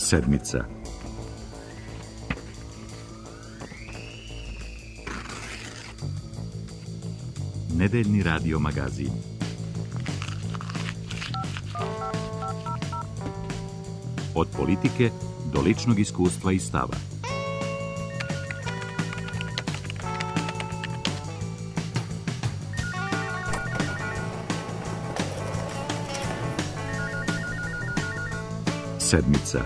Sedmica. Nedeljni radio magazin. Od politike do ličnog iskustva i stava. Sedmica.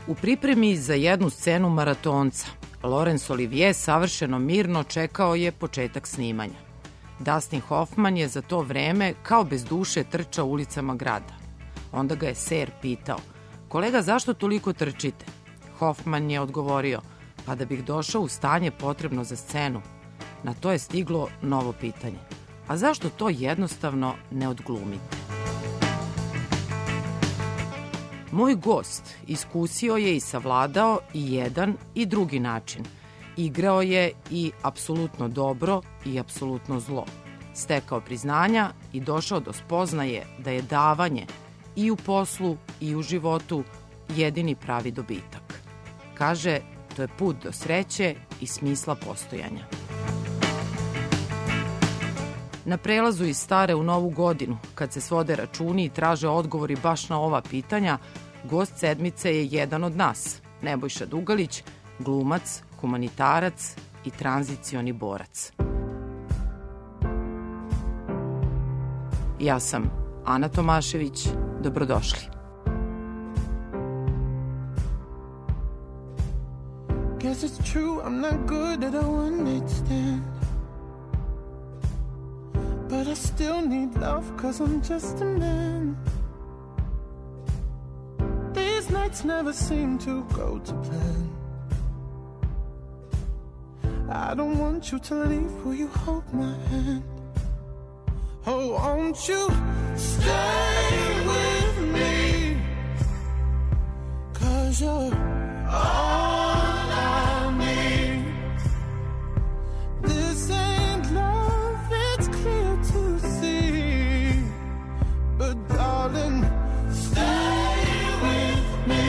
U pripremi za jednu scenu maratonca, Laurence Olivier savršeno mirno čekao je početak snimanja. Dustin Hoffman je za to vreme kao bez duše trčao ulicama grada. Onda ga je ser pitao: "Kolega, zašto toliko trčite?" Hoffman je odgovorio: "Pa da bih došao u stanje potrebno za scenu." Na to je stiglo novo pitanje: "A zašto to jednostavno ne odglumite?" Moj gost iskusio je i savladao i jedan i drugi način. Igrao je i apsolutno dobro i apsolutno zlo. Stekao priznanja i došao do spoznaje da je davanje i u poslu i u životu jedini pravi dobitak. Kaže, to je put do sreće i smisla postojanja. Na prelazu iz stare u novu godinu, kad se svode računi i traže odgovori baš na ova pitanja, gost sedmice je jedan od nas, Nebojša Dugalić, glumac, humanitarac i tranzicioni borac. Ja sam Ana Tomašević, dobrodošli. Guess it's true, I'm not good at a one-night stand, but I still need love, cause I'm just a man. These nights never seem to go to plan. I don't want you to leave, will you hold my hand? Oh, won't you stay with me, cause you're all I need. This ain't love, it's clear to see, but darling, stay with me.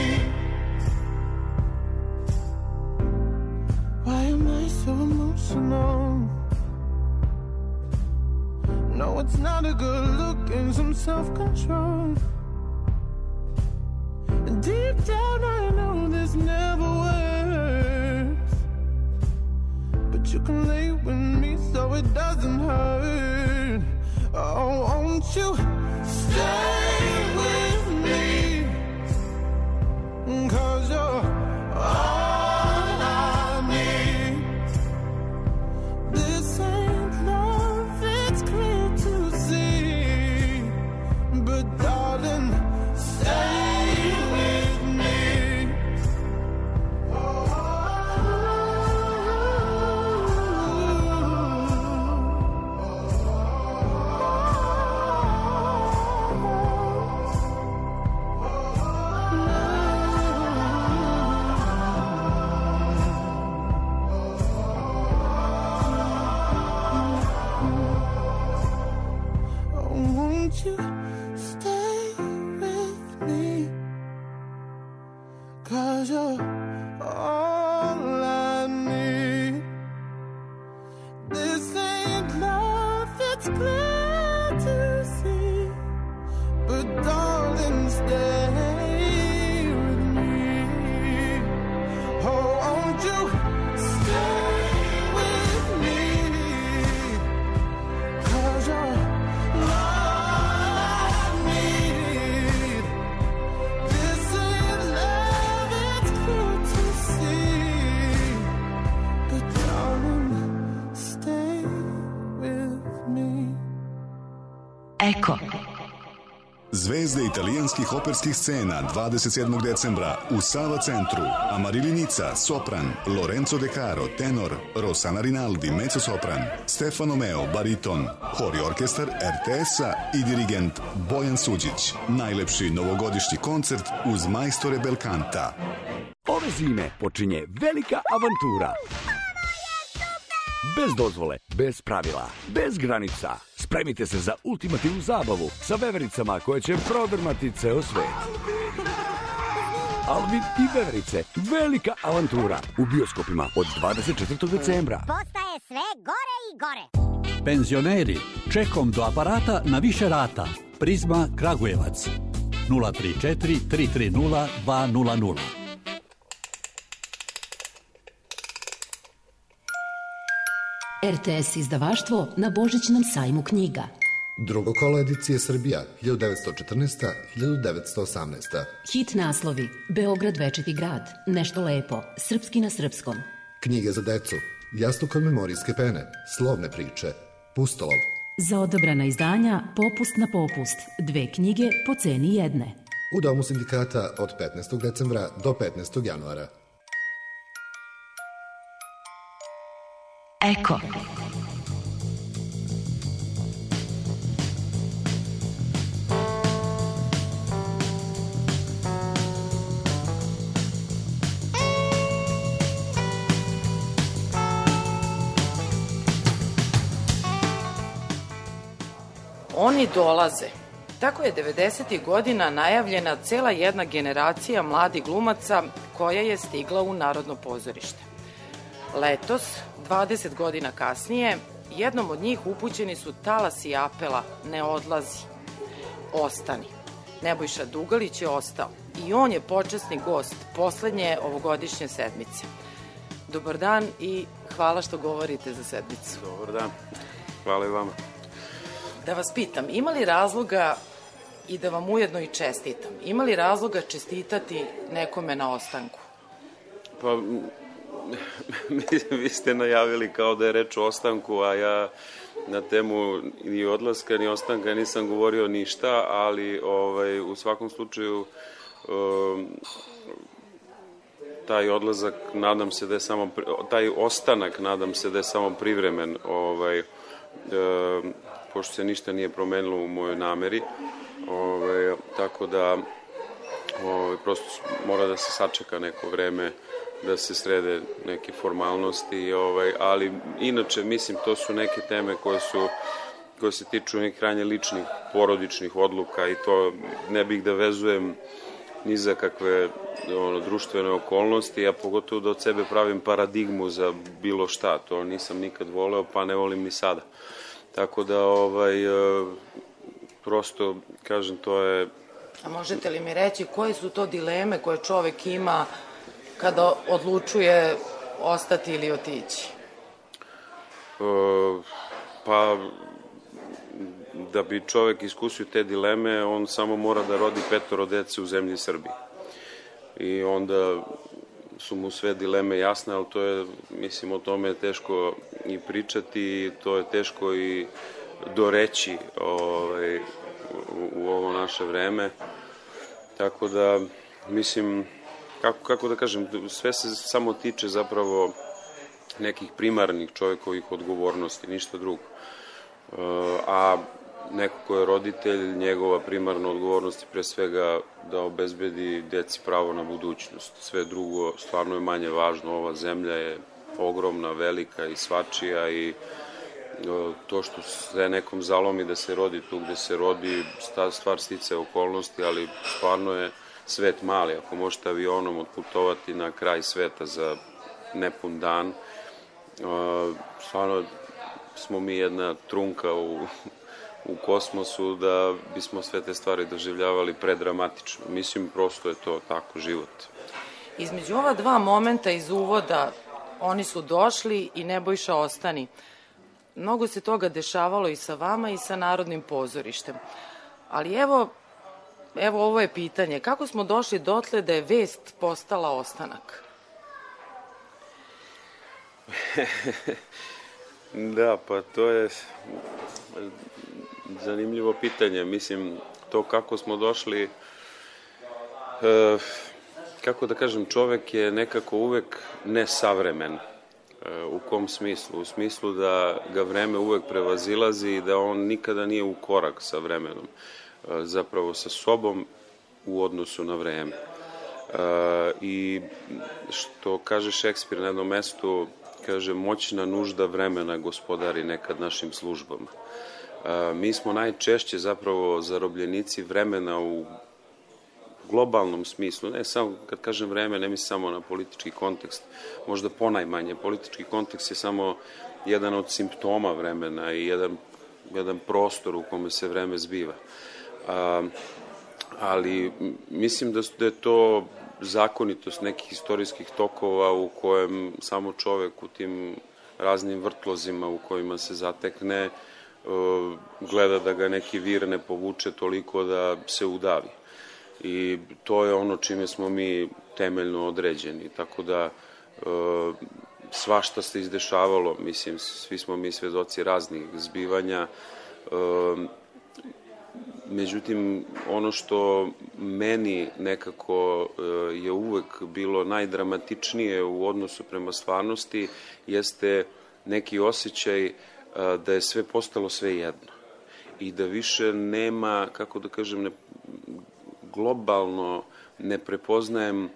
Why am I so emotional? No, it's not a good look and some self-control. And deep down I know this never works, but you can lay with me so it doesn't hurt. Oh, won't you stay with me, cause you're all I need. This ain't love, it's clear to see, but darling, stay with me. Won't you stay with me, cause you're all I need. This ain't love, it's clear to see, but darling, stay with me. Oh, won't you stay with me, cause you're Eko. Zvezde italijanskih operskih scena 27. decembra u Sava centru. Amarilli Nica, sopran, Lorenzo De Caro, tenor, Rossana Rinaldi, mezzosopran, Stefano Meo, bariton, hor i orkestar RTS-a i dirigent Bojan Suđić. Najlepši novogodišnji koncert uz majstore Belkanta. Ove zime počinje velika avantura. Bez dozvole, bez pravila, bez granica. Spremite se za ultimativnu zabavu sa vevericama koje će prodrmati ceo svet. Alvin i veverice, velika avantura u bioskopima od 24. decembra. Postaje sve gore i gore. Penzioneri, čekom do aparata na više rata. Prizma Kragujevac 034 330 200. RTS izdavaštvo na Božićnom sajmu knjiga. Drugo kolo edicije Srbija, 1914-1918. Hit naslovi: Beograd večiti grad, Nešto lepo, Srpski na srpskom. Knjige za decu, Jastuk od memorijske pene, Slovne priče, Pustolov. Za odabrana izdanja Popust na popust, 2 knjige po ceni jedne. U Domu sindikata od 15. decembra do 15. januara. Eko. Oni dolaze. Tako je 90. godina najavljena cela jedna generacija mladih glumaca koja je stigla u Narodno pozorište. Letos, 20 godina kasnije, jednom od njih upućeni su talasi apela "Ne odlazi, ostani". Nebojša Dugalić je ostao i on je počasni gost poslednje ovogodišnje sedmice. Dobar dan i hvala što govorite za sedmicu. Dobar dan, hvala i vama. Da vas pitam, ima li razloga, i da vam ujedno i čestitam, ima li razloga čestitati nekome na ostanku? Pa, vi ste najavili kao da je reč o ostanku, a ja na temu ni odlaska ni ostanka nisam govorio ništa, ali u svakom slučaju taj odlazak, nadam se da je samo, taj ostanak, nadam se da je samo privremen, pošto se ništa nije promenilo u mojoj nameri, tako da prosto mora da se sačeka neko vreme da se srede neke formalnosti, ali inače mislim to su neke teme koje se tiču nekih krajnje ličnih, porodičnih odluka i to ne bih da vezujem ni za kakve društvene okolnosti, a pogotovo da od sebe pravim paradigmu za bilo šta, to nisam nikad voleo, pa ne volim ni sada. Tako da, prosto, kažem, to je... A možete li mi reći koje su to dileme koje čovek ima kada odlučuje ostati ili otići? Pa, da bi čovek iskusio te dileme, on samo mora da rodi 5 dece u zemlji Srbiji. I onda su mu sve dileme jasne, ali to je, mislim, o tome je teško i pričati, to je teško i doreći u ovo naše vreme. Tako da, mislim, kako da kažem, sve se samo tiče zapravo nekih primarnih čovekovih odgovornosti, ništa drugo. A neko ko je roditelj, njegova primarna odgovornost je pre svega da obezbedi deci pravo na budućnost. Sve drugo stvarno je manje važno. Ova zemlja je ogromna, velika i svačija i to što se nekom zalomi da se rodi tu gde se rodi, stvar sticaja okolnosti, ali stvarno je svet mali. Ako možete avionom otputovati na kraj sveta za nepun dan, stvarno smo mi jedna trunka u kosmosu da bismo sve te stvari doživljavali predramatično. Mislim, prosto je to tako, život. Između ova dva momenta iz uvoda, oni su došli i Nebojša ostani. Mnogo se toga dešavalo i sa vama i sa Narodnim pozorištem. Ali evo ovo je pitanje. Kako smo došli dotle da je vest postala ostanak? Da, pa to je zanimljivo pitanje. Mislim, to kako smo došli, kako da kažem, čovek je nekako uvek nesavremen. U kom smislu? U smislu da ga vreme uvek prevazilazi i da on nikada nije u korak sa vremenom, zapravo sa sobom u odnosu na vreme. I što kaže Šekspir na jednom mestu, kaže, moćna nužda vremena gospodari nekad našim službama. Mi smo najčešće zapravo zarobljenici vremena u globalnom smislu, ne samo, kad kažem vreme, ne mislim samo na politički kontekst, možda ponajmanje. Politički kontekst je samo jedan od simptoma vremena i jedan prostor u kome se vreme zbiva. Ali mislim da je to zakonitost nekih istorijskih tokova u kojem samo čovek u tim raznim vrtlozima u kojima se zatekne gleda da ga neki vir ne povuče toliko da se udavi. I to je ono čime smo mi temeljno određeni, tako da svašta se izdešavalo, mislim, svi smo mi svedoci raznih zbivanja. Međutim, ono što meni nekako je uvek bilo najdramatičnije u odnosu prema stvarnosti jeste neki osjećaj da je sve postalo sve jedno i da više nema, kako da kažem, globalno ne prepoznajem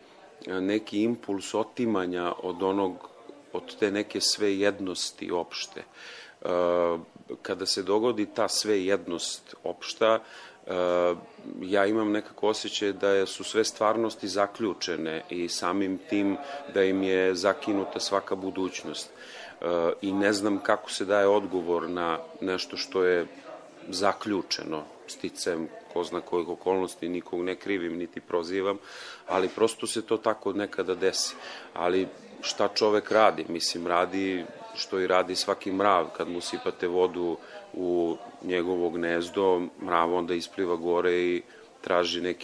neki impuls otimanja od te neke svejednosti opšte. Kada se dogodi ta svejednost opšta, ja imam nekako osjećaj da su sve stvarnosti zaključene i samim tim da im je zakinuta svaka budućnost. I ne znam kako se daje odgovor na nešto što je zaključeno sticajem ko zna kojih okolnosti, nikog ne krivim niti prozivam, ali prosto se to tako nekada desi. Ali šta čovek radi? Mislim, radi što i radi svaki mrav. Kad mu sipate vodu u njegovo gnezdo, mrav onda ispliva gore i traži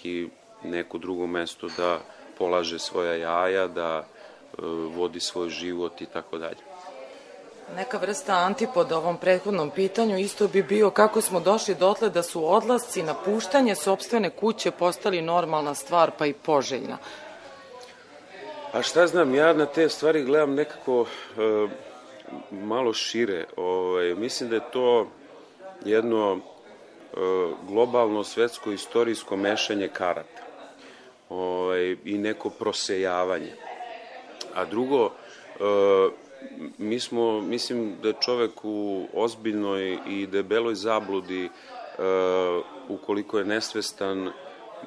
neko drugo mesto da polaže svoja jaja, da vodi svoj život i tako dalje. Neka vrsta antipoda ovom prethodnom pitanju isto bi bio kako smo došli dotle da su odlasci, napuštanje sopstvene kuće postali normalna stvar pa i poželjna. A šta znam, ja na te stvari gledam nekako malo šire. Mislim da je to jedno globalno svetsko istorijsko mešanje karata i neko prosejavanje. A drugo, mislim da je čovek u ozbiljnoj i debeloj zabludi ukoliko je nesvestan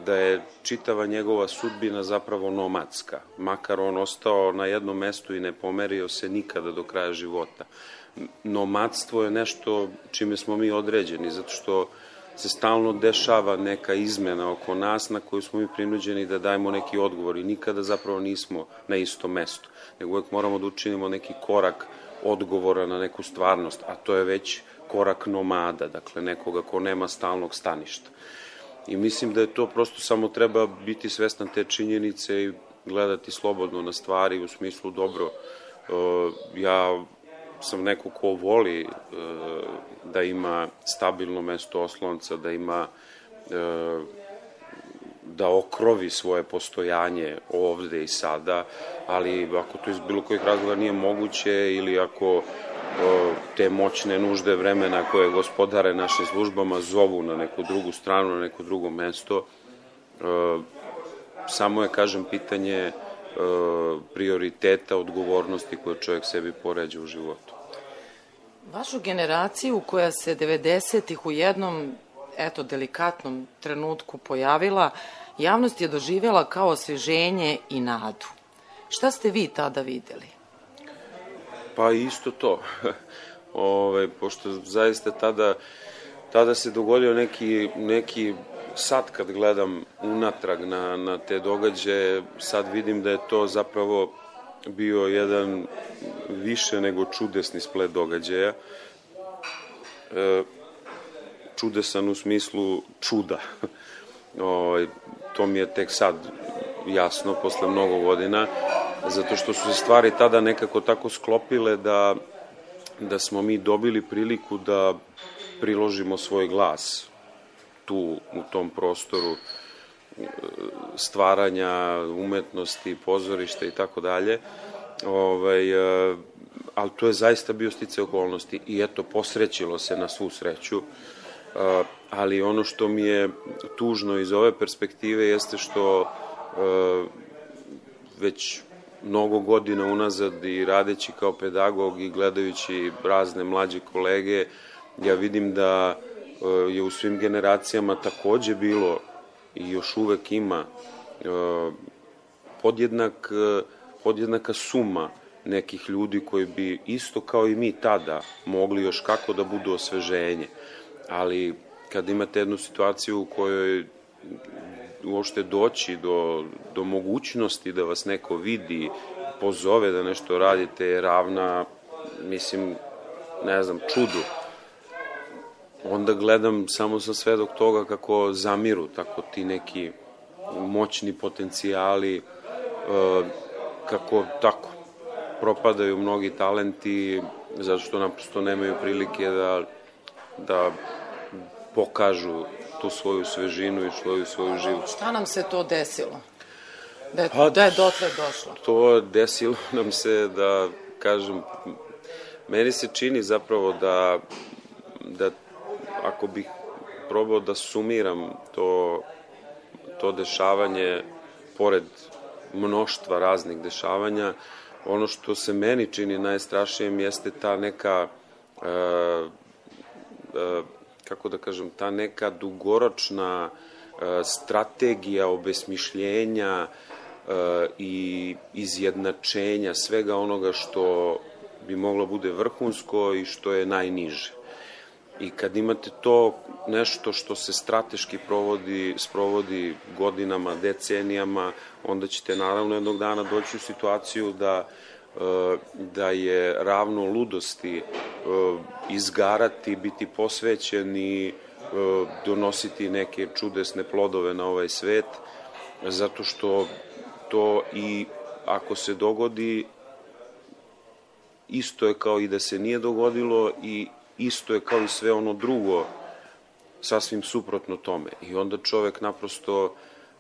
da je čitava njegova sudbina zapravo nomadska, makar on ostao na jednom mestu i ne pomerio se nikada do kraja života. Nomadstvo je nešto čime smo mi određeni, zato što se stalno dešava neka izmena oko nas na koju smo mi prinuđeni da dajemo neki odgovor i nikada zapravo nismo na istom mestu, nego uvek moramo da učinimo neki korak odgovora na neku stvarnost, a to je već korak nomada, dakle nekoga ko nema stalnog staništa. I mislim da je to prosto samo treba biti svestan te činjenice i gledati slobodno na stvari u smislu dobro. Ja sam neko ko voli da ima stabilno mesto oslonca, da ima da okrovi svoje postojanje ovde i sada, ali ako to iz bilo kojih razloga nije moguće ili ako te moćne nužde vremena koje gospodare našim službama zovu na neku drugu stranu, na neko drugo mesto, samo je, kažem, pitanje prioriteta, odgovornosti koje čovjek sebi poređa u životu. Vašu generaciju koja se 90-ih u jednom, delikatnom trenutku pojavila, javnost je doživjela kao osveženje i nadu. Šta ste vi tada videli? Pa isto to. Pošto zaista tada se dogodio neki sad kad gledam unatrag na te događaje, sad vidim da je to zapravo bio jedan više nego čudesni splet događaja. Čudesan u smislu čuda. To mi je tek sad jasno, posle mnogo godina, zato što su se stvari tada nekako tako sklopile da smo mi dobili priliku da priložimo svoj glas tu u tom prostoru stvaranja umetnosti, pozorišta i tako dalje. Ali to je zaista bio sticaj okolnosti i eto, posrećilo se na svu sreću. Ali ono što mi je tužno iz ove perspektive jeste što već mnogo godina unazad i radeći kao pedagog i gledajući razne mlađe kolege, ja vidim da je u svim generacijama takođe bilo i još uvek ima podjednaka suma nekih ljudi koji bi isto kao i mi tada mogli još kako da budu osveženje. Ali kad imate jednu situaciju u kojoj uopšte doći do mogućnosti da vas neko vidi, pozove da nešto radite, je ravna, mislim, ne znam, čudu. Onda gledam, samo sam svedok toga kako zamiru tako ti neki moćni potencijali, kako tako propadaju mnogi talenti, zato što naprosto nemaju prilike da pokažu tu svoju svežinu i svoju život. Šta nam se to desilo? Da je dotle došlo? To desilo nam se da, kažem, meni se čini zapravo da ako bih probao da sumiram to dešavanje, pored mnoštva raznih dešavanja, ono što se meni čini najstrašnijim jeste ta neka, kako da kažem, ta neka dugoročna strategija obesmišljenja i izjednačenja svega onoga što bi moglo bude vrhunsko i što je najniže. I kad imate to nešto što se strateški sprovodi godinama, decenijama, onda ćete naravno jednog dana doći u situaciju da je ravno ludosti izgarati, biti posvećen i donositi neke čudesne plodove na ovaj svet, zato što to i ako se dogodi, isto je kao i da se nije dogodilo i isto je kao i sve ono drugo, sasvim suprotno tome. I onda čovek naprosto,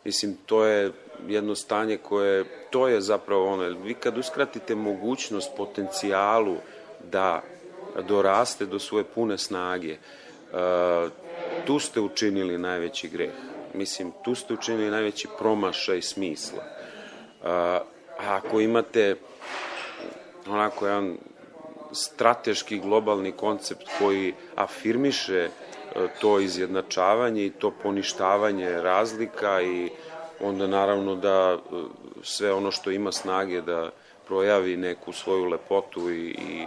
mislim, to je jedno stanje koje, to je zapravo ono, vi kad uskratite mogućnost potencijalu da doraste do svoje pune snage, tu ste učinili najveći greh. Mislim, tu ste učinili najveći promašaj smisla. A ako imate onako jedan strateški globalni koncept koji afirmiše to izjednačavanje i to poništavanje razlika, i onda naravno da sve ono što ima snage da projavi neku svoju lepotu i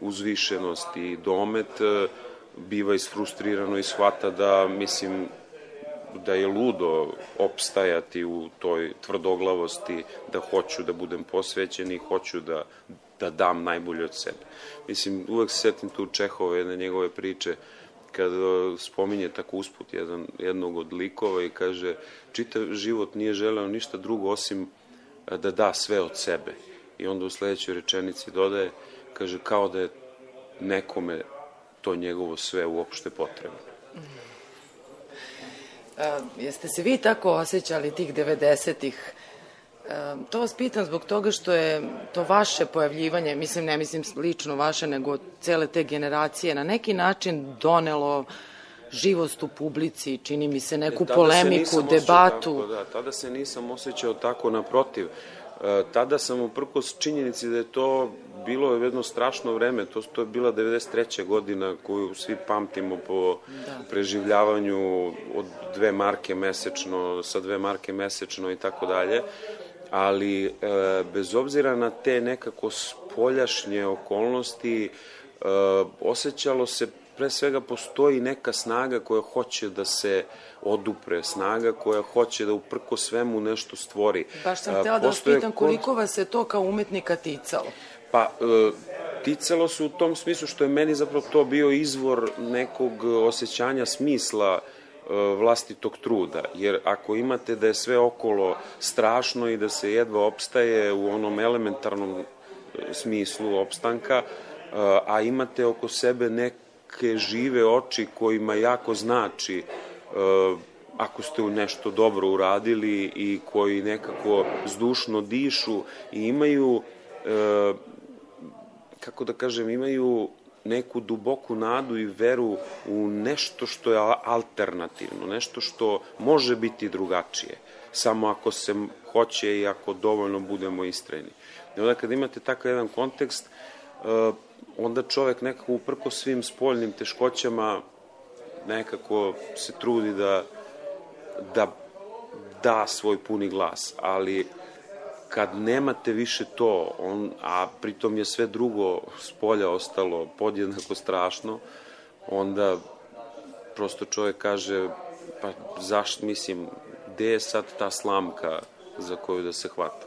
uzvišenost i domet, biva isfrustrirano i shvata da, mislim, da je ludo opstajati u toj tvrdoglavosti, da hoću da budem posvećen i hoću da dam najbolje od sebe. Mislim, uvek se setim tu Čehove, jedne njegove priče, kad spominje tako usput jednog od likova i kaže, čitav život nije želeo ništa drugo osim da da sve od sebe. I onda u sledećoj rečenici dodaje, kaže, kao da je nekome to njegovo sve uopšte potrebno. Jeste se vi tako osjećali tih 90-ih? To vas pitam zbog toga što je to vaše pojavljivanje, mislim, ne mislim lično vaše, nego cele te generacije, na neki način donelo živost u publici, čini mi se, neku polemiku, debatu. Tada se nisam osjećao tako, naprotiv. Tada sam uprkos činjenici da je to bilo jedno strašno vreme, to je bila 93. godina koju svi pamtimo po preživljavanju od 2 marke mesečno, sa 2 marke mesečno i tako dalje, ali bez obzira na te nekako spoljašnje okolnosti, osjećalo se, pre svega postoji neka snaga koja hoće da se odupre, snaga koja hoće da uprko svemu nešto stvori. Baš sam htela da vas pitam koliko vas je to kao umetnika ticalo? Pa, ticalo se u tom smislu što je meni zapravo to bio izvor nekog osjećanja smisla vlastitog truda, jer ako imate da je sve okolo strašno i da se jedva opstaje u onom elementarnom smislu opstanka, a imate oko sebe neke žive oči kojima jako znači ako ste nešto dobro uradili i koji nekako zdušno dišu i imaju, kako da kažem, imaju neku duboku nadu i veru u nešto što je alternativno, nešto što može biti drugačije, samo ako se hoće i ako dovoljno budemo istrajni. I onda kad imate takav jedan kontekst, onda čovek nekako uprko svim spoljnim teškoćama nekako se trudi da svoj puni glas, ali kad nemate više to, a pritom je sve drugo s polja ostalo podjednako strašno, onda prosto čovjek kaže, pa zašto, mislim, gde je sad ta slamka za koju da se hvata?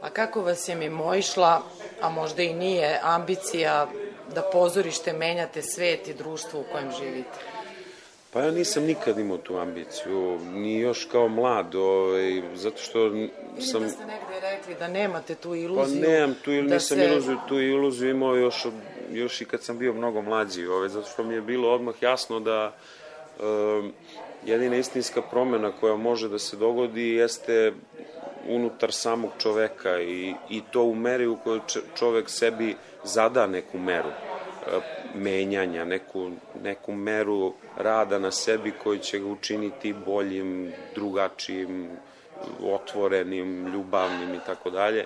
A kako vas je mimoišla, a možda i nije, ambicija da pozorište menjate svet i društvo u kojem živite? Pa ja nisam nikad imao tu ambiciju, ni još kao mlad, zato što sam... Vidim da ste negde rekli da nemate tu iluziju. Pa nemam tu, nisam tu iluziju imao još i kad sam bio mnogo mlađi, zato što mi je bilo odmah jasno da jedina istinska promena koja može da se dogodi jeste unutar samog čoveka i to u meri u kojoj čovek sebi zada neku meru menjanja, neku meru rada na sebi koji će ga učiniti boljim, drugačijim, otvorenim, ljubavnim i tako dalje.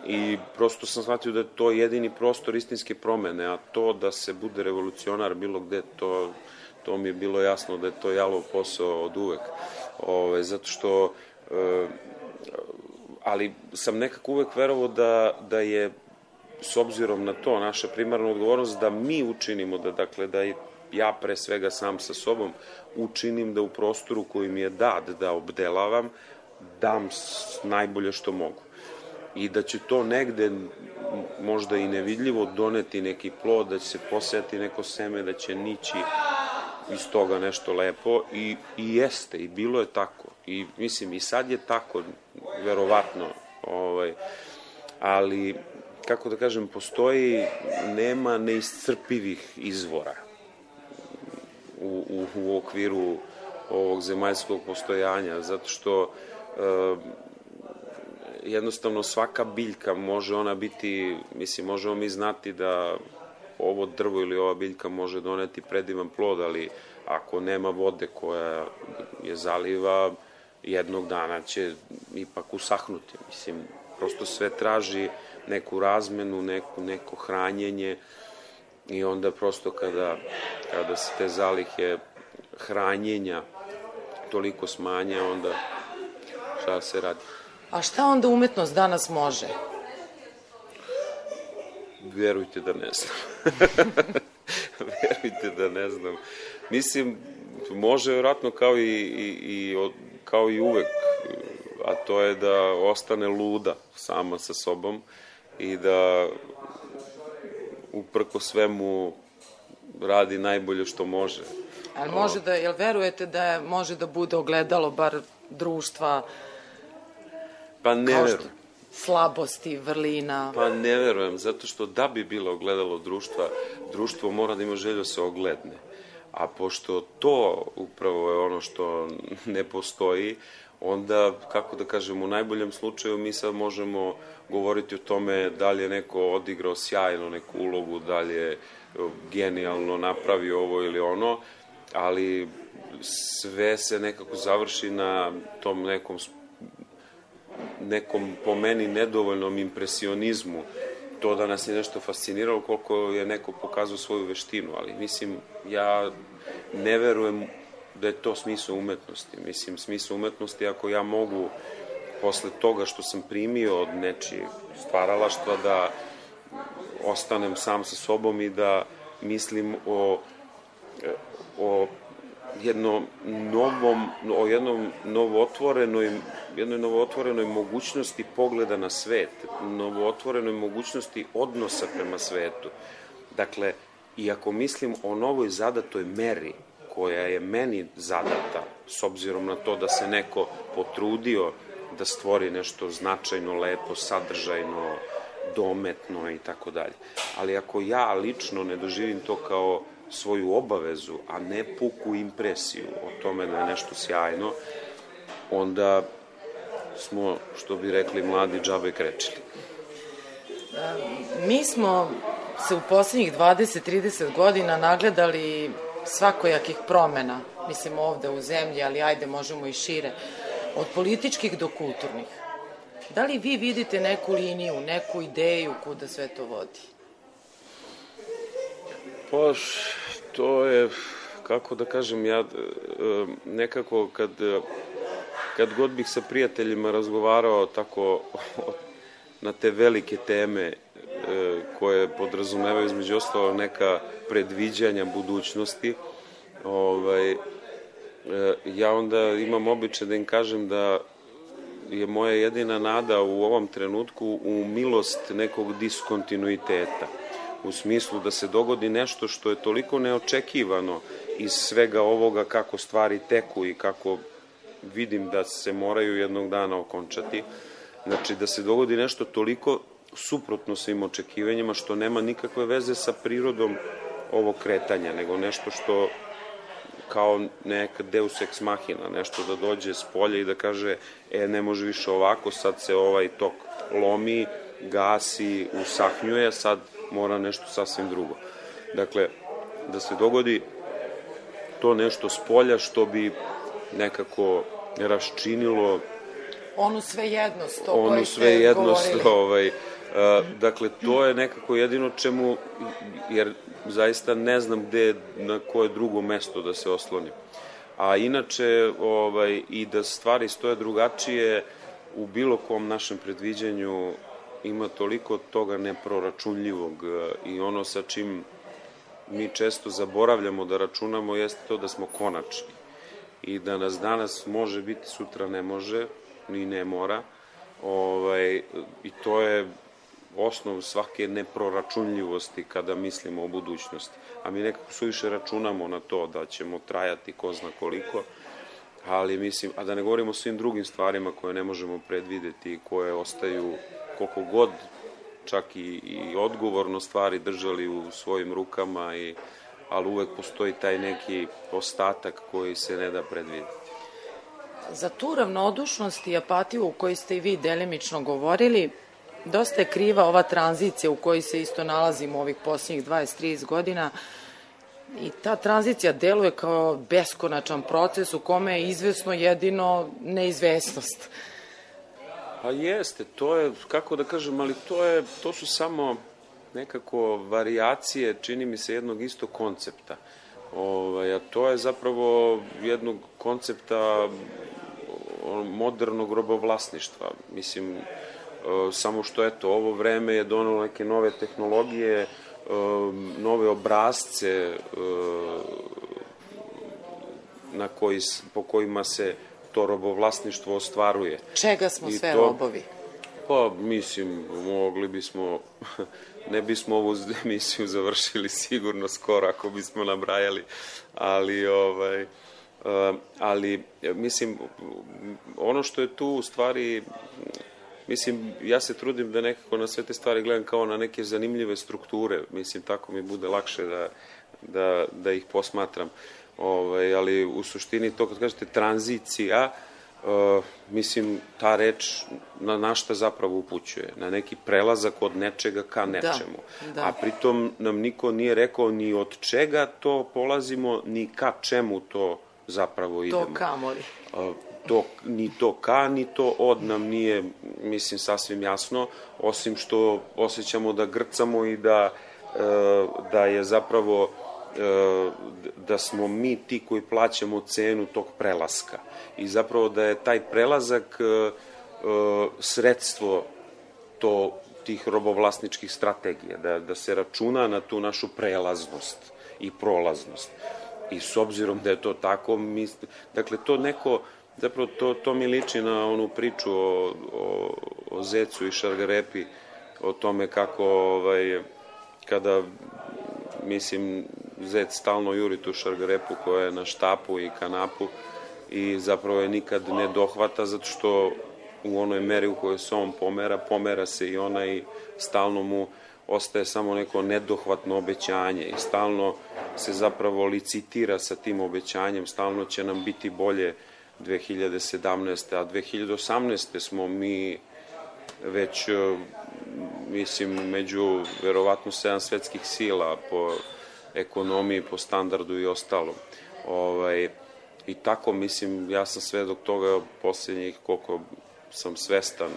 I prosto sam shvatio da je to jedini prostor istinske promene, a to da se bude revolucionar bilo gde, to mi je bilo jasno da je to jalov posao od uvek. Zato što ali sam nekako uvek verovao da je, s obzirom na to, naša primarna odgovornost da mi učinimo, da ja pre svega sam sa sobom učinim da u prostoru koji mi je dat da obdelavam, dam najbolje što mogu. I da će to negde možda i nevidljivo doneti neki plod, da će se posejati neko seme, da će nići iz toga nešto lepo i jeste, i bilo je tako. I mislim, i sad je tako, verovatno, ali, kako da kažem, nema neiscrpivih izvora u okviru ovog zemaljskog postojanja, zato što jednostavno svaka biljka može ona biti, mislim, možemo mi znati da ovo drvo ili ova biljka može doneti predivan plod, ali ako nema vode koja je zaliva, jednog dana će ipak usahnuti. Mislim, prosto sve traži neku razmenu, neko hranjenje i onda prosto kada se te zalihe hranjenja toliko smanje, onda šta se radi? A šta onda umetnost danas može? Verujte da ne znam. Verujte da ne znam. Mislim, može vjerojatno kao i uvek, a to je da ostane luda sama sa sobom i da uprko svemu radi najbolje što može. Ali može da, jel verujete da može da bude ogledalo bar društva? Pa ne verujem. Slabosti, vrlina? Pa ne verujem, zato što da bi bilo ogledalo društva, društvo mora da ima želju da se ogledne. A pošto to upravo je ono što ne postoji, onda, kako da kažem, u najboljem slučaju mi sad možemo govoriti o tome da li je neko odigrao sjajno neku ulogu, da li je genijalno napravio ovo ili ono, ali sve se nekako završi na tom nekom po meni nedovoljnom impresionizmu. To da nas je nešto fasciniralo koliko je neko pokazao svoju veštinu, ali mislim, ja ne verujem da je to smisao umetnosti. Mislim, smisao umetnosti ako ja mogu posle toga što sam primio od nečijeg stvaralaštva da ostanem sam sa sobom i da mislim o jednoj novootvorenoj mogućnosti pogleda na svet, novootvorenoj mogućnosti odnosa prema svetu. Dakle, i ako mislim o novoj zadatoj meri koja je meni zadata, s obzirom na to da se neko potrudio da stvori nešto značajno, lepo, sadržajno, dometno i tako dalje. Ali ako ja lično ne doživim to kao svoju obavezu, a ne puku impresiju o tome da je nešto sjajno, onda smo, što bi rekli mladi, džabe krečili. Mi smo se u poslednjih 20-30 godina nagledali svakojakih promena, mislim ovde u zemlji, ali ajde možemo i šire, od političkih do kulturnih. Da li vi vidite neku liniju, neku ideju kuda sve to vodi? Pa, to je, kako da kažem, ja nekako kad god bih sa prijateljima razgovarao tako na te velike teme koje podrazumevaju između ostalo neka predviđanja budućnosti, ja onda imam običaj da im kažem da je moja jedina nada u ovom trenutku u milost nekog diskontinuiteta. U smislu da se dogodi nešto što je toliko neočekivano iz svega ovoga kako stvari teku i kako vidim da se moraju jednog dana okončati. Znači da se dogodi nešto toliko suprotno svim očekivanjima što nema nikakve veze sa prirodom ovog kretanja, nego nešto što kao neka deus ex machina, nešto da dođe s polja i da kaže ne može više ovako, sad se ovaj tok lomi, gasi, usahnjuje, sad mora nešto sasvim drugo. Dakle, da se dogodi to nešto s polja što bi nekako raščinilo onu svejednost o kojoj ste govorili. Dakle, to je nekako jedino čemu, jer zaista ne znam gde, na koje drugo mesto da se oslonim. A inače, i da stvari stoje drugačije, u bilo kom našem predviđanju ima toliko toga neproračunljivog i ono sa čim mi često zaboravljamo da računamo jeste to da smo konačni i da nas danas može biti, sutra ne može, ni ne mora, i to je osnov svake neproračunljivosti kada mislimo o budućnosti. A mi nekako suviše računamo na to da ćemo trajati ko zna koliko, ali mislim, a da ne govorimo o svim drugim stvarima koje ne možemo predvideti i koje ostaju koliko god čak i odgovorno stvari držali u svojim rukama, ali uvek postoji taj neki ostatak koji se ne da predvideti. Za tu ravnodušnost i apatiju u kojoj ste i vi delimično govorili, dosta je kriva ova tranzicija u kojoj se isto nalazimo ovih posljednjih 20-30 godina i ta tranzicija deluje kao beskonačan proces u kome je izvesno jedino neizvesnost. Pa jeste, to je, kako da kažem, ali to su samo nekako varijacije, čini mi se, jednog istog koncepta. A to je zapravo jednog koncepta modernog robovlasništva. Mislim, samo što, eto, ovo vreme je donelo neke nove tehnologije, nove obrazce po kojima se to robovlasništvo ostvaruje. Čega smo sve robovi? Pa, mislim, mogli bismo, ne bismo ovu emisiju završili sigurno skoro ako bismo nabrajali, ali, mislim, ono što je tu u stvari, mislim, ja se trudim da nekako na sve te stvari gledam kao na neke zanimljive strukture, mislim, tako mi bude lakše da ih posmatram. Ali u suštini to kad kažete tranzicija, mislim, ta reč na šta zapravo upućuje? Na neki prelazak od nečega ka nečemu. A pritom nam niko nije rekao ni od čega to polazimo, ni ka čemu to zapravo idemo. To kamoli. Ni to ka, ni to od nam nije, mislim, sasvim jasno, osim što osjećamo da grcamo i da je zapravo da smo mi ti koji plaćamo cenu tog prelaska i zapravo da je taj prelazak sredstvo tih robovlasničkih strategija, da se računa na tu našu prelaznost i prolaznost. I s obzirom da je to tako, dakle, to neko, zapravo to mi liči na onu priču o zecu i šargarepi, o tome kako kada, mislim, zec stalno juri tu šargarepu koja je na štapu i kanapu i zapravo je nikad ne dohvata zato što u onoj meri u kojoj se on pomera se i ona i stalno mu ostaje samo neko nedohvatno obećanje i stalno se zapravo licitira sa tim obećanjem, stalno će nam biti bolje 2017. A 2018. smo mi već mislim, među verovatno 7 svetskih sila po ekonomiji, po standardu i ostalom. I tako, mislim, ja sam svedok toga posljednjih koliko sam svestan,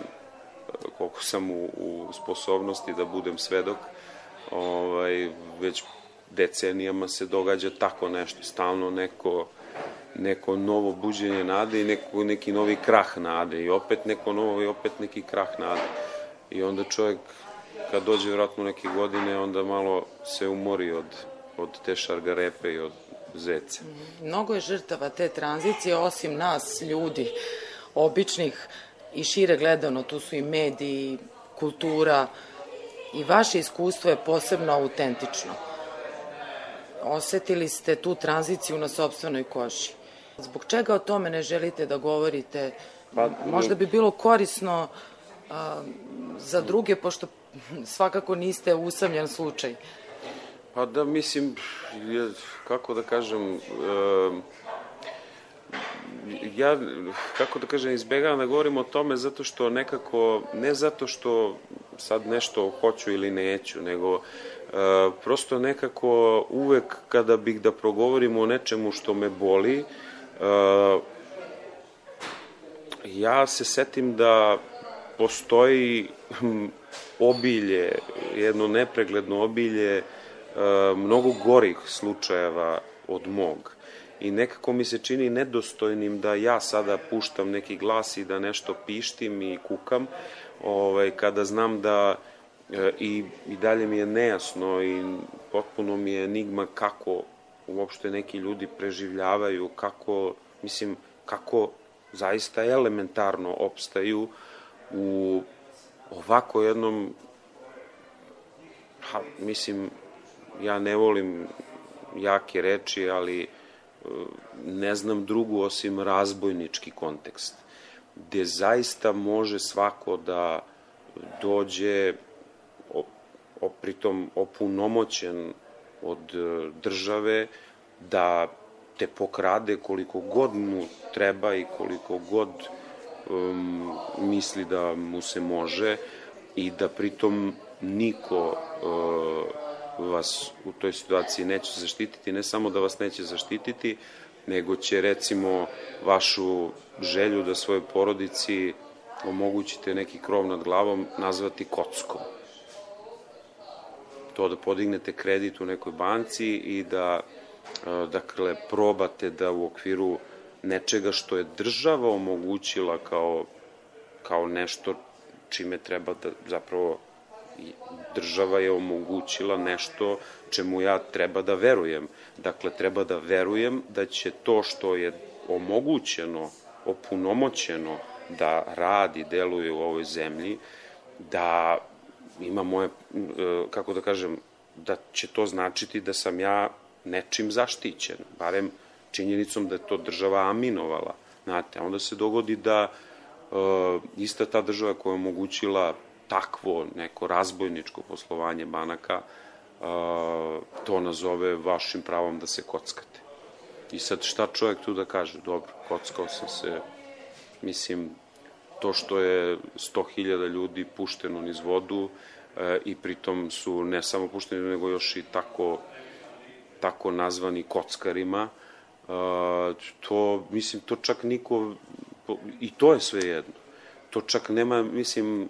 koliko sam u sposobnosti da budem svedok, već decenijama se događa tako nešto, stalno neko novo buđenje nade i neki novi krah nade i opet neko novo i opet neki krah nade. I onda čovjek, kad dođe vjerojatno neke godine, onda malo se umori od te šargarepe i od zeca. Mnogo je žrtava te tranzicije, osim nas, ljudi, običnih i šire gledano, tu su i mediji, kultura, i vaše iskustvo je posebno autentično. Osetili ste tu tranziciju na sopstvenoj koži. Zbog čega o tome ne želite da govorite? Možda bi bilo korisno za druge, pošto svakako niste usamljen slučaj. Pa da, mislim, kako da kažem, ja, kako da kažem, izbegavam da govorim o tome zato što nekako, ne zato što sad nešto hoću ili neću, nego prosto nekako uvek kada bih da progovorim o nečemu što me boli, ja se setim da postoji obilje, jedno nepregledno obilje mnogo gorih slučajeva od mog. I nekako mi se čini nedostojnim da ja sada puštam neki glas i da nešto pištim i kukam, kada znam da i dalje mi je nejasno i potpuno mi je enigma kako uopšte neki ljudi preživljavaju, kako zaista elementarno opstaju u ovako jednom, mislim, ja ne volim jake reči, ali ne znam drugu osim razbojnički kontekst, gde zaista može svako da dođe, pritom opunomoćen od države, da te pokrade koliko god mu treba i koliko god misli da mu se može i da pritom niko vas u toj situaciji neće zaštititi, ne samo da vas neće zaštititi, nego će recimo vašu želju da svojoj porodici omogućite neki krov nad glavom nazvati kockom. To da podignete kredit u nekoj banci i da, dakle, probate da u okviru nečega što je država omogućila kao nešto čime treba da zapravo država je omogućila nešto čemu ja treba da verujem. Dakle, treba da verujem da će to što je omogućeno, opunomoćeno da radi, deluje u ovoj zemlji, da ima moje, kako da kažem, da će to značiti da sam ja nečim zaštićen, barem činjenicom da je to država aminovala. Znate, onda se dogodi da ista ta država koja je omogućila takvo neko razbojničko poslovanje banaka, to nazove vašim pravom da se kockate. I sad šta čovjek tu da kaže? Dobro, kockao sam se, mislim, to što je 100.000 ljudi pušteno niz vodu i pritom su ne samo pušteni, nego još i tako nazvani kockarima, to, mislim, to čak niko, i to je sve jedno. To čak nema, mislim,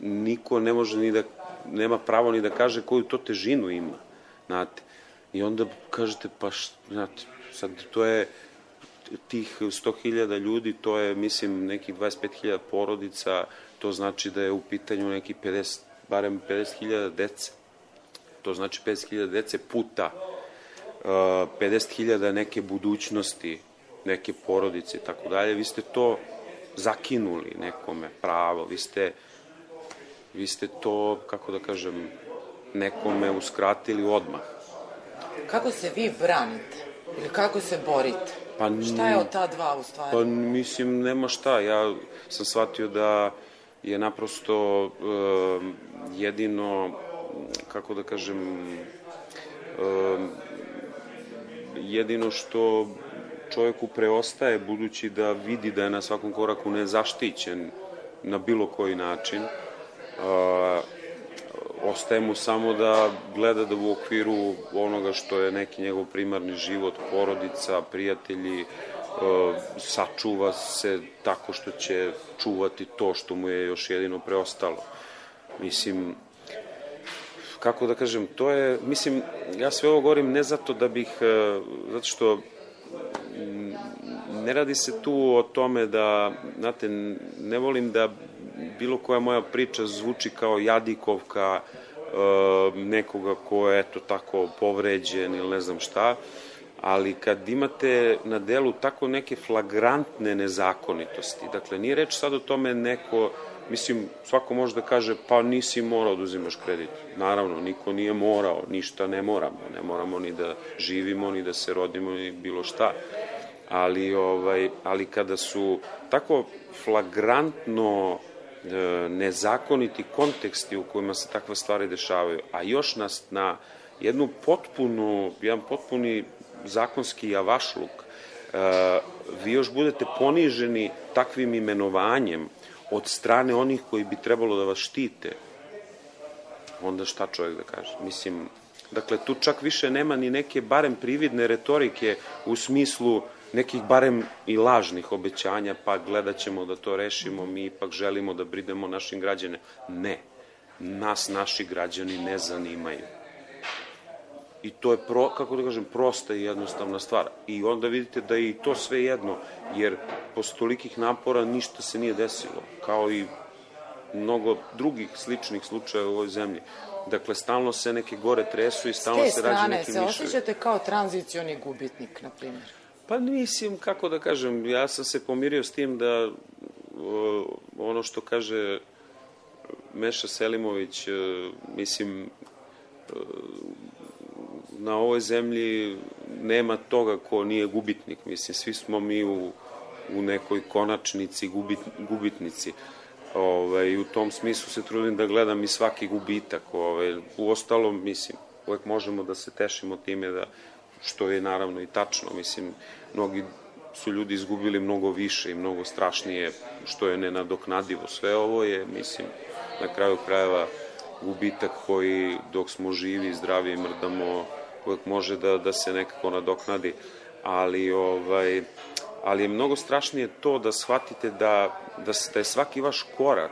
niko ne može ni da, nema pravo ni da kaže koju to težinu ima, znate. I onda kažete, pa, znate, sad to je tih 100.000 ljudi, to je, mislim, nekih 25.000 porodica, to znači da je u pitanju neki 50, barem 50.000 dece. To znači 50.000 dece puta 50.000 neke budućnosti, neke porodice i tako dalje. Vi ste to zakinuli nekome pravo, vi ste to, kako da kažem, nekome uskratili odmah. Kako se vi branite? Ili kako se borite? Šta je od ta dva u stvari? Pa mislim, nema šta. Ja sam shvatio da je naprosto jedino, kako da kažem, jedino što čovjeku preostaje, budući da vidi da je na svakom koraku nezaštićen na bilo koji način, ostaje mu samo da gleda da u okviru onoga što je neki njegov primarni život, porodica, prijatelji, sačuva se tako što će čuvati to što mu je još jedino preostalo. Mislim, kako da kažem, to je, mislim, ja sve ovo govorim ne zato da bih, zato što ne radi se tu o tome da, znate, ne volim da bilo koja moja priča zvuči kao jadikovka nekoga ko je eto tako povređen ili ne znam šta, ali kad imate na delu tako neke flagrantne nezakonitosti, dakle nije reč sad o tome neko, mislim svako može da kaže pa nisi morao da uzimaš kredit, naravno niko nije morao, ništa ne moramo ni da živimo, ni da se rodimo, ni bilo šta, ali kada su tako flagrantno nezakoniti konteksti u kojima se takve stvari dešavaju, a još nas na jedan potpuni zakonski javašluk, vi još budete poniženi takvim imenovanjem od strane onih koji bi trebalo da vas štite, onda šta čovjek da kaže? Mislim, dakle, tu čak više nema ni neke barem prividne retorike u smislu nekih barem i lažnih obećanja, pa gledat ćemo da to rešimo, mi ipak želimo da brinemo našim građane. Ne, nas naši građani ne zanimaju. I to je, kako da kažem, prosta i jednostavna stvar. I onda vidite da je i to sve jedno, jer posle tolikih napora ništa se nije desilo, kao i mnogo drugih sličnih slučajeva u ovoj zemlji. Dakle, stalno se neke gore tresu i stalno se rađe neki miševi. S te strane se osjećate kao tranzicioni gubitnik, na primjer? Pa mislim, kako da kažem, ja sam se pomirio s tim da ono što kaže Meša Selimović, mislim, na ovoj zemlji nema toga ko nije gubitnik, mislim, svi smo mi u nekoj konačnici gubitnici. I u tom smislu se trudim da gledam i svaki gubitak. U ostalom, mislim, uvek možemo da se tešimo time da, što je naravno i tačno, mislim, mnogi su ljudi izgubili mnogo više i mnogo strašnije, što je nenadoknadivo. Sve ovo je, mislim, na kraju krajeva gubitak koji dok smo živi, zdravi i mrdamo, uvek može da se nekako nadoknadi, ali je mnogo strašnije to da shvatite da je svaki vaš korak,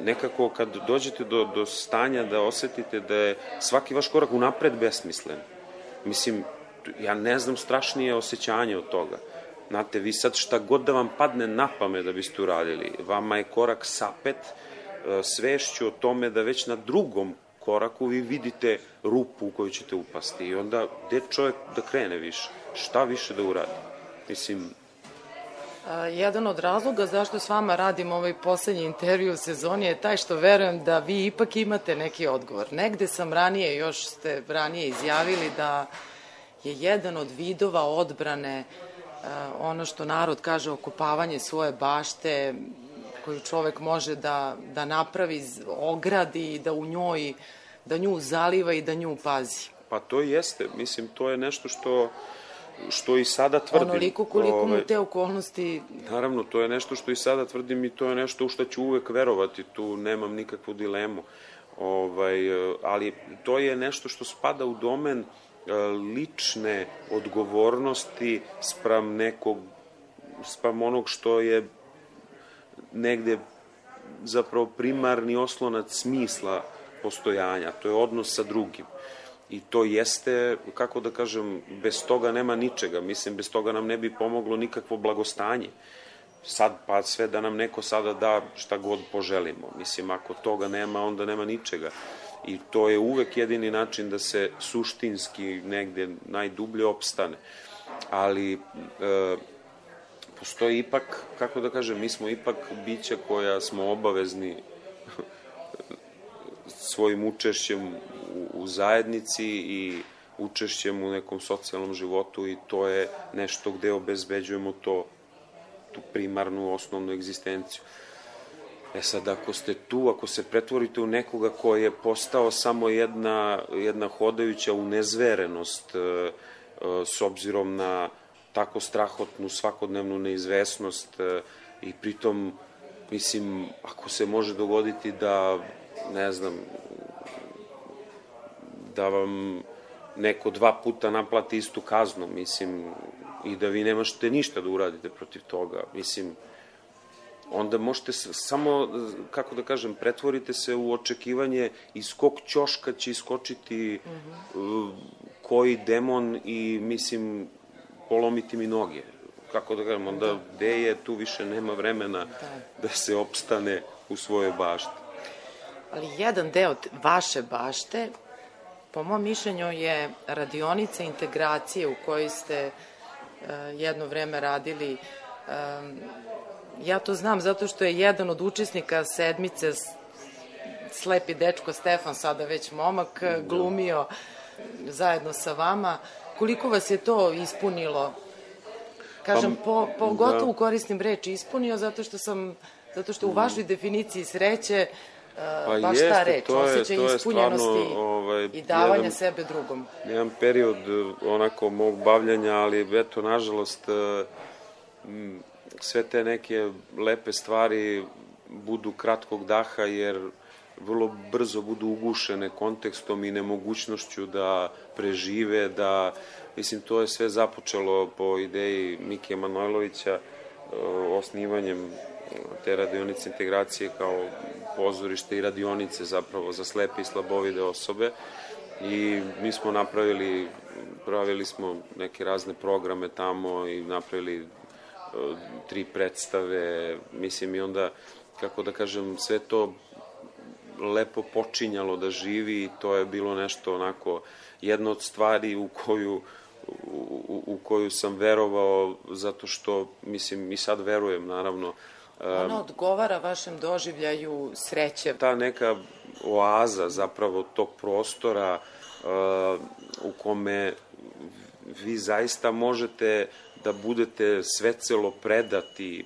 nekako kad dođete do stanja da osetite da je svaki vaš korak unapred besmislen. Mislim, ja ne znam strašnije osjećanje od toga. Znate, vi sad šta god da vam padne na pamet da biste uradili, vama je korak sapet svešću o tome da već na drugom koraku vi vidite rupu u koju ćete upasti i onda gde čovjek da krene više, šta više da uradi. Mislim... Jedan od razloga zašto s vama radim ovaj poslednji intervju u sezoni je taj što verujem da vi ipak imate neki odgovor. Negde sam ranije, još ste ranije izjavili da je jedan od vidova odbrane ono što narod kaže okopavanje svoje bašte koju čovek može da napravi, ogradi i da nju zaliva i da nju pazi. Pa to jeste, mislim, to je nešto što i sada tvrdim. Onoliko koliko mu te okolnosti... Naravno, to je nešto što i sada tvrdim i to je nešto u što ću uvek verovati, tu nemam nikakvu dilemu. Ali to je nešto što spada u domen lične odgovornosti spram onog što je negde zapravo primarni oslonac smisla postojanja, to je odnos sa drugim. I to jeste, kako da kažem, bez toga nema ničega. Mislim, bez toga nam ne bi pomoglo nikakvo blagostanje. Sad, pa sve da nam neko sada da šta god poželimo. Mislim, ako toga nema, onda nema ničega. I to je uvek jedini način da se suštinski negde najdublje opstane. Ali postoji ipak, kako da kažem, mi smo ipak bića koja smo obavezni svojim učešćem u zajednici i učešćem u nekom socijalnom životu i to je nešto gde obezbeđujemo tu primarnu, osnovnu egzistenciju. Sad, ako ste tu, ako se pretvorite u nekoga koji je postao samo jedna hodajuća unezverenost s obzirom na tako strahotnu svakodnevnu neizvesnost i pritom mislim, ako se može dogoditi da, ne znam, da vam neko 2 puta naplati istu kaznu, mislim, i da vi nemašte ništa da uradite protiv toga, mislim, onda možete samo, kako da kažem, pretvorite se u očekivanje iz kog ćoška će iskočiti koji demon i, mislim, polomiti mi noge. Kako da kažem, onda gde je, tu više nema vremena da se opstane u svojoj bašti. Ali jedan deo vaše bašte, po mom mišljenju, je radionica integracije u kojoj ste jedno vreme radili. Ja to znam zato što je jedan od učesnika sedmice, slepi dečko Stefan, sada već momak, glumio zajedno sa vama. Koliko vas je to ispunilo? Kažem, pogotovo koristim reči ispunio, zato što u vašoj definiciji sreće baš ta reč, osjećaj ispunjenosti i davanja sebe drugom. Jedan period onako mog bavljanja, ali eto, nažalost, sve te neke lepe stvari budu kratkog daha, jer vrlo brzo budu ugušene kontekstom i nemogućnošću da prežive, da, mislim, to je sve započelo po ideji Mike Manojlovića, osnivanjem te radionice integracije kao pozorište i radionice zapravo za slepe i slabovide osobe, i mi smo pravili smo neke razne programe tamo i napravili 3 predstave, mislim, i onda, kako da kažem, sve to lepo počinjalo da živi i to je bilo nešto onako, jedna od stvari u koju sam verovao, zato što, mislim, i sad verujem, naravno. Ona odgovara vašem doživljaju sreće. Ta neka oaza zapravo tog prostora u kome vi zaista možete da budete svecelo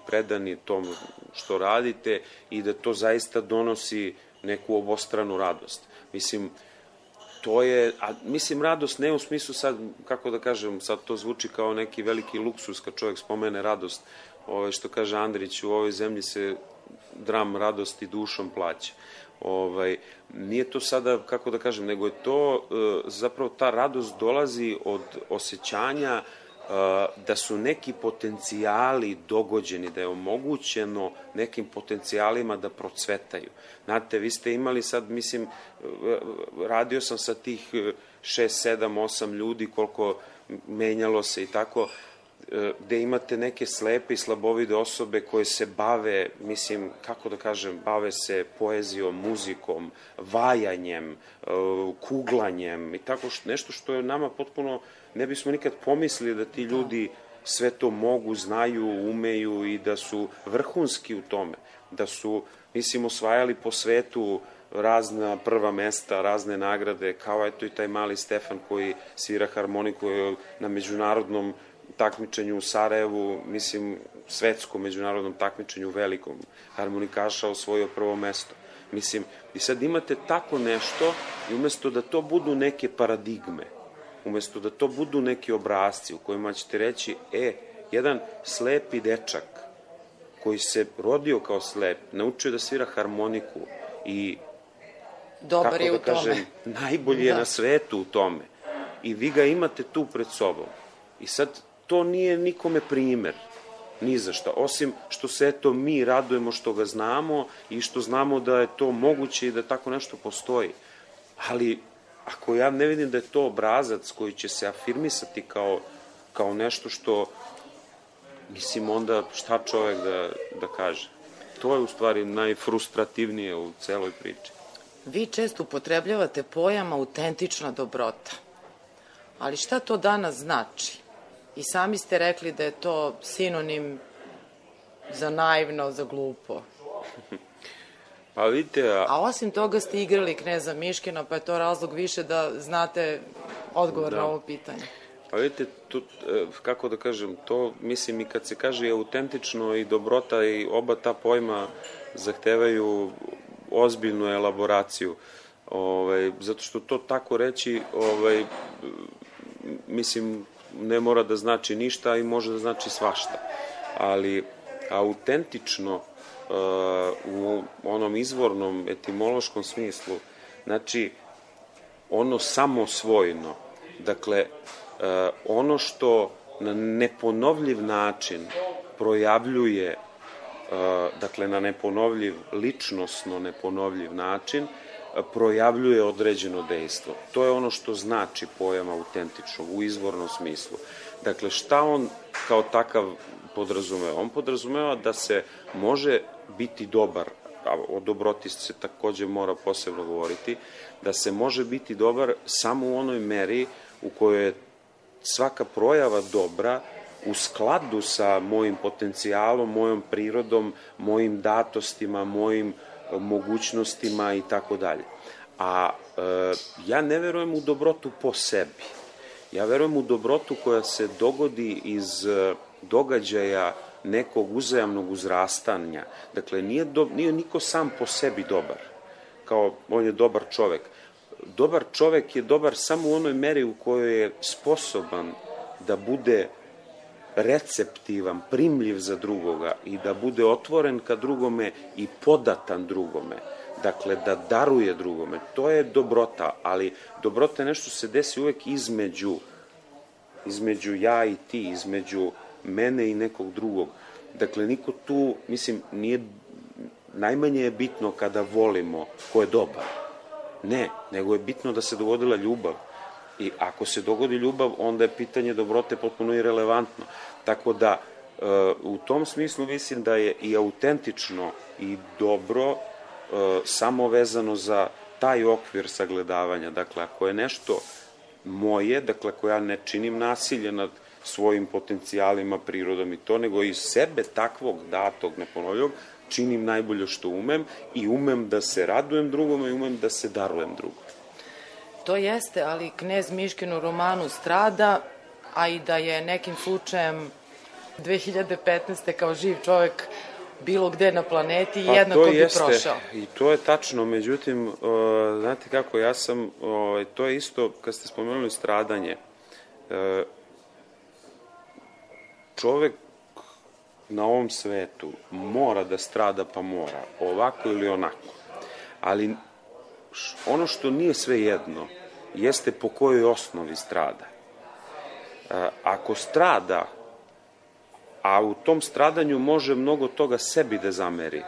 predani tom što radite i da to zaista donosi neku obostranu radost. Mislim, to je, mislim, radost ne u smislu sad, kako da kažem, sad to zvuči kao neki veliki luksus kad čovjek spomene radost, što kaže Andrić, u ovoj zemlji se dram radosti dušom plaća. Nije to sada, kako da kažem, nego je to, zapravo ta radost dolazi od osjećanja da su neki potencijali dogođeni, da je omogućeno nekim potencijalima da procvetaju. Znate, vi ste imali sad, mislim, radio sam sa tih 6, 7, 8 ljudi, koliko menjalo se i tako, gde imate neke slepe i slabovide osobe koje se bave, mislim, kako da kažem, bave se poezijom, muzikom, vajanjem, kuglanjem i tako nešto što je nama potpuno, ne bismo nikad pomislili da ti ljudi sve to mogu, znaju, umeju i da su vrhunski u tome, da su, mislim, osvajali po svetu razna prva mesta, razne nagrade, kao eto i taj mali Stefan koji svira harmoniku na međunarodnom takmičenju u Sarajevu, mislim, svetskom međunarodnom takmičenju velikom, harmonikaša osvojio prvo mesto. Mislim, i sad imate tako nešto i umesto da to budu neke paradigme, umesto da to budu neki obrazci u kojima ćete reći, jedan slepi dečak koji se rodio kao slep, naučio da svira harmoniku i, dobar je u tome, kažem, najbolji je na svetu u tome. I vi ga imate tu pred sobom. I sad to nije nikome primer, ni za šta, osim što se eto mi radujemo što ga znamo i što znamo da je to moguće i da tako nešto postoji. Ali ako ja ne vidim da je to obrazac koji će se afirmisati kao nešto što, mislim, onda šta čovek da kaže? To je u stvari najfrustrativnije u celoj priči. Vi često upotrebljavate pojam autentična dobrota. Ali šta to danas znači? I sami ste rekli da je to sinonim za naivno, za glupo. Pa vidite... A osim toga ste igrali Kneza Miškina, pa je to razlog više da znate odgovor na ovo pitanje. Pa vidite, kako da kažem, to, mislim, i kad se kaže autentično i dobrota, i oba ta pojma zahtevaju ozbiljnu elaboraciju. Zato što to tako reći, mislim, ne mora da znači ništa i može da znači svašta. Ali autentično u onom izvornom etimološkom smislu, znači ono samosvojno, dakle ono što na neponovljiv način projavljuje, dakle na neponovljiv, ličnosno neponovljiv način, projavljuje određeno dejstvo. To je ono što znači pojam autentičnog u izvornom smislu. Dakle, šta on kao takav podrazumeva? On podrazumeva da se može biti dobar, a o dobroti se takođe mora posebno govoriti, da se može biti dobar samo u onoj meri u kojoj je svaka projava dobra u skladu sa mojim potencijalom, mojom prirodom, mojim datostima, mojim mogućnostima i tako dalje. A ja ne verujem u dobrotu po sebi. Ja verujem u dobrotu koja se dogodi iz događaja nekog uzajamnog uzrastanja. Dakle, nije niko sam po sebi dobar, kao on je dobar čovek. Dobar čovek je dobar samo u onoj meri u kojoj je sposoban da bude receptivan, primljiv za drugoga i da bude otvoren ka drugome i podatan drugome. Dakle, da daruje drugome. To je dobrota, ali dobrota je nešto što se desi uvek između ja i ti, između mene i nekog drugog. Dakle, niko tu, mislim, najmanje je bitno kada volimo ko je dobar. Ne, nego je bitno da se dogodila ljubav. I ako se dogodi ljubav, onda je pitanje dobrote potpuno irelevantno. Tako da, u tom smislu mislim da je i autentično i dobro samo vezano za taj okvir sagledavanja. Dakle, ako je nešto moje, dakle, ako ja ne činim nasilje nad svojim potencijalima, prirodom i to, nego iz sebe takvog datog, neponovljivog, činim najbolje što umem i umem da se radujem drugome i umem da se darujem drugom. To jeste, ali knez Miškin u romanu strada, a i da je nekim slučajem 2015. kao živ čovek bilo gde na planeti, jednako bi prošao. I to je tačno, međutim, znate kako, to je isto, kad ste spomenuli stradanje, čovek na ovom svetu mora da strada, pa mora, ovako ili onako. Ali ono što nije sve jedno, jeste po kojoj osnovi strada. Ako strada, a u tom stradanju može mnogo toga sebi da zameri,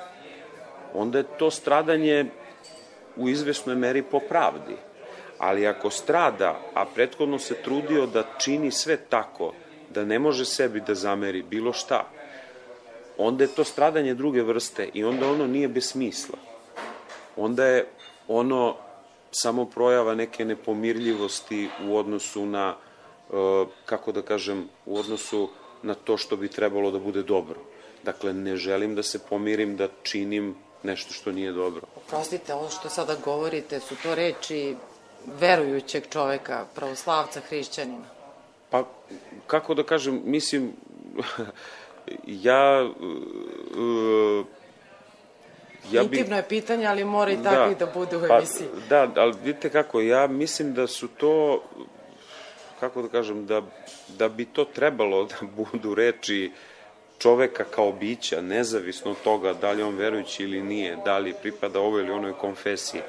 onda je to stradanje u izvesnoj meri po pravdi. Ali ako strada, a prethodno se trudio da čini sve tako, da ne može sebi da zameri bilo šta, onda je to stradanje druge vrste i onda ono nije bez smisla. Onda je ono samo projava neke nepomirljivosti u odnosu na, kako da kažem, u odnosu na to što bi trebalo da bude dobro. Dakle, ne želim da se pomirim, da činim nešto što nije dobro. Oprostite, ovo što sada govorite, su to reči verujućeg čoveka, pravoslavca, hrišćanina? Pa, kako da kažem, mislim, Intimno je pitanje, ali mora i tako i da bude u emisiji. Da, ali vidite kako, ja mislim da su to, kako da kažem, da bi to trebalo da budu reči čoveka kao bića, nezavisno od toga da li on verujući ili nije, da li pripada ovoj ili onoj konfesiji.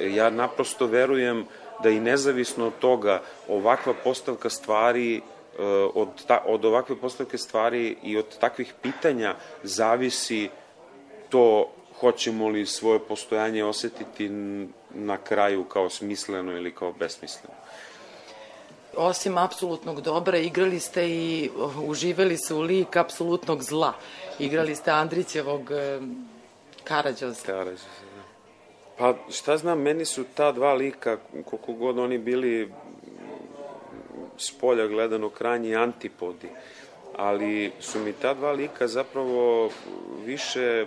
Ja naprosto verujem da i nezavisno od toga ovakva postavka stvari, od ovakve postavke stvari i od takvih pitanja zavisi to hoćemo li svoje postojanje osetiti na kraju kao smisleno ili kao besmisleno. Osim apsolutnog dobra, igrali ste i uživali se u lik apsolutnog zla. Igrali ste Andrićevog Karađoza. Karađoza, da. Pa šta znam, meni su ta dva lika, koliko god oni bili s polja gledano krajnji antipodi, ali su mi ta dva lika zapravo više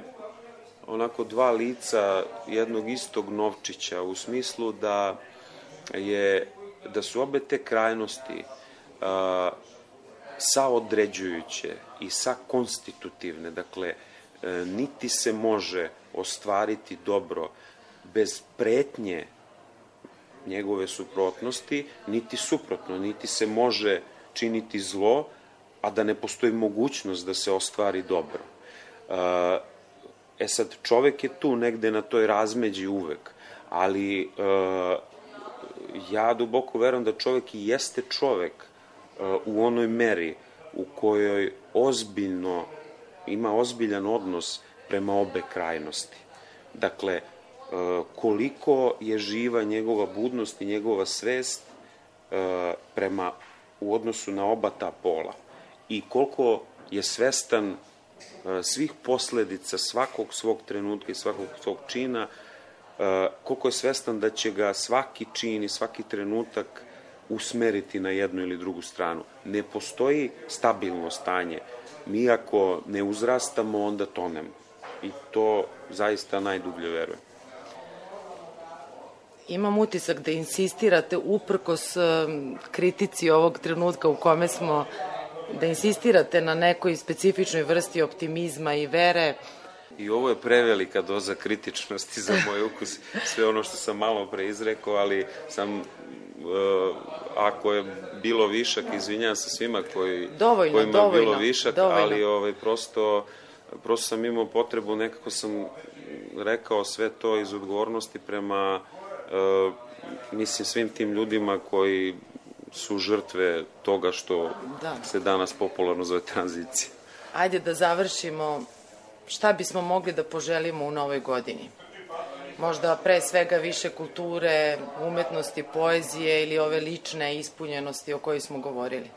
onako dva lica jednog istog novčića, u smislu da su obe te krajnosti saodređujuće i sakonstitutivne. Dakle, niti se može ostvariti dobro bez pretnje njegove suprotnosti, niti suprotno, niti se može činiti zlo, a da ne postoji mogućnost da se ostvari dobro. sad, čovek je tu negde na toj razmeđi uvek, ali ja duboko verujem da čovek i jeste čovek u onoj meri u kojoj ima ozbiljan odnos prema obe krajnosti. Dakle, koliko je živa njegova budnost i njegova svest u odnosu na oba ta pola i koliko je svestan svih posledica svakog svog trenutka i svakog svog čina, koliko je svestan da će ga svaki čin i svaki trenutak usmeriti na jednu ili drugu stranu. Ne postoji stabilno stanje. Mi ako ne uzrastamo, onda tonemo. I to zaista najdublje verujem. Imam utisak da insistirate uprkos kritici ovog trenutka u kome smo, da insistirate na nekoj specifičnoj vrsti optimizma i vere. I ovo je prevelika doza kritičnosti za moj ukus, sve ono što sam malo pre izrekao, ali ako je bilo višak, izvinjam se svima kojima je bilo višak, ali prosto sam imao potrebu, nekako sam rekao sve to iz odgovornosti prema svim tim ljudima koji su žrtve toga što se danas popularno zove tranzicija. Ajde da završimo. Šta bismo mogli da poželimo u novoj godini? Možda pre svega više kulture, umetnosti, poezije ili ove lične ispunjenosti o kojoj smo govorili?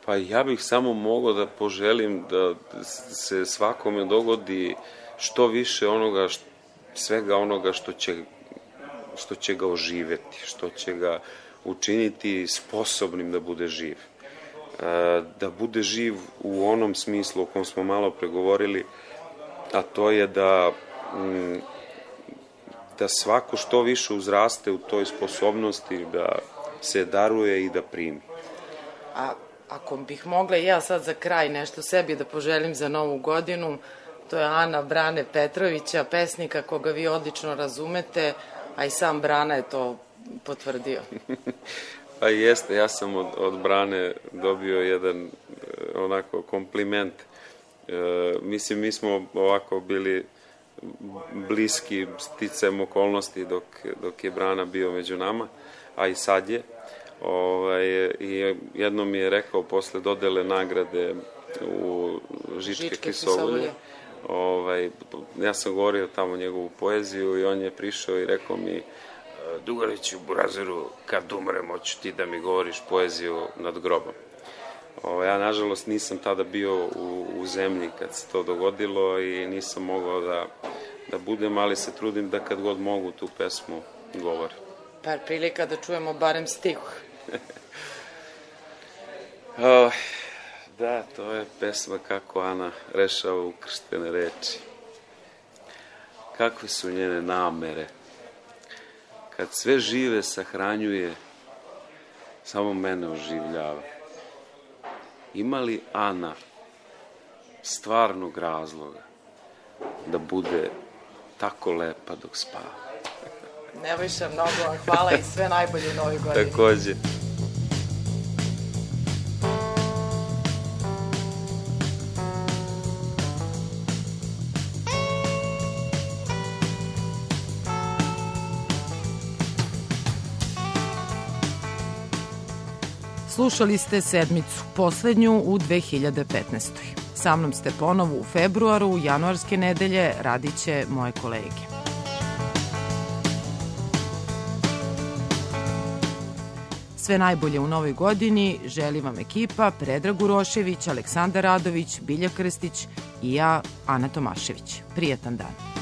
Pa ja bih samo mogao da poželim da se svakome dogodi što više svega onoga što će ga oživeti, što će ga učiniti sposobnim da bude živ. Da bude živ u onom smislu o kom smo malo pregovorili, a to je da svako što više uzraste u toj sposobnosti da se daruje i da primi. A ako bih mogla ja sad za kraj nešto sebi da poželim za novu godinu, to je Ana Brane Petrovića, pesnika koga vi odlično razumete, a i sam Brana je to potvrdio. Pa jeste, ja sam od Brane dobio jedan onako kompliment. Mislim, mi smo ovako bili bliski sticajem okolnosti dok je Brana bio među nama, a i sad je. I jednom mi je rekao posle dodele nagrade u Žičke Kisovolje. Ja sam govorio tamo njegovu poeziju i on je prišao i rekao mi: Dugariću, Burazeru, kad umrem, hoću ti da mi govoriš poeziju nad grobom. Ja, nažalost, nisam tada bio u zemlji kad se to dogodilo i nisam mogao da budem, ali se trudim da kad god mogu tu pesmu govorim. Par prilika da čujemo barem stih. Da, to je pesma Kako Ana rešava ukrštene reči. Kakve su njene namere? Kad sve žive sahranjuje, samo mene oživljava. Ima li Ana stvarnog razloga da bude tako lepa dok spava? Nebojša, mnogo vam hvala i sve najbolje u novoj godini. Takođe. Slušali ste sedmicu, poslednju u 2015. Sa mnom ste ponovo u februaru, u januarske nedelje radit će moje kolege. Sve najbolje u novoj godini želi vam ekipa Predrag Urošević, Aleksandar Radović, Bilja Krstić i ja, Ana Tomašević. Prijetan dan.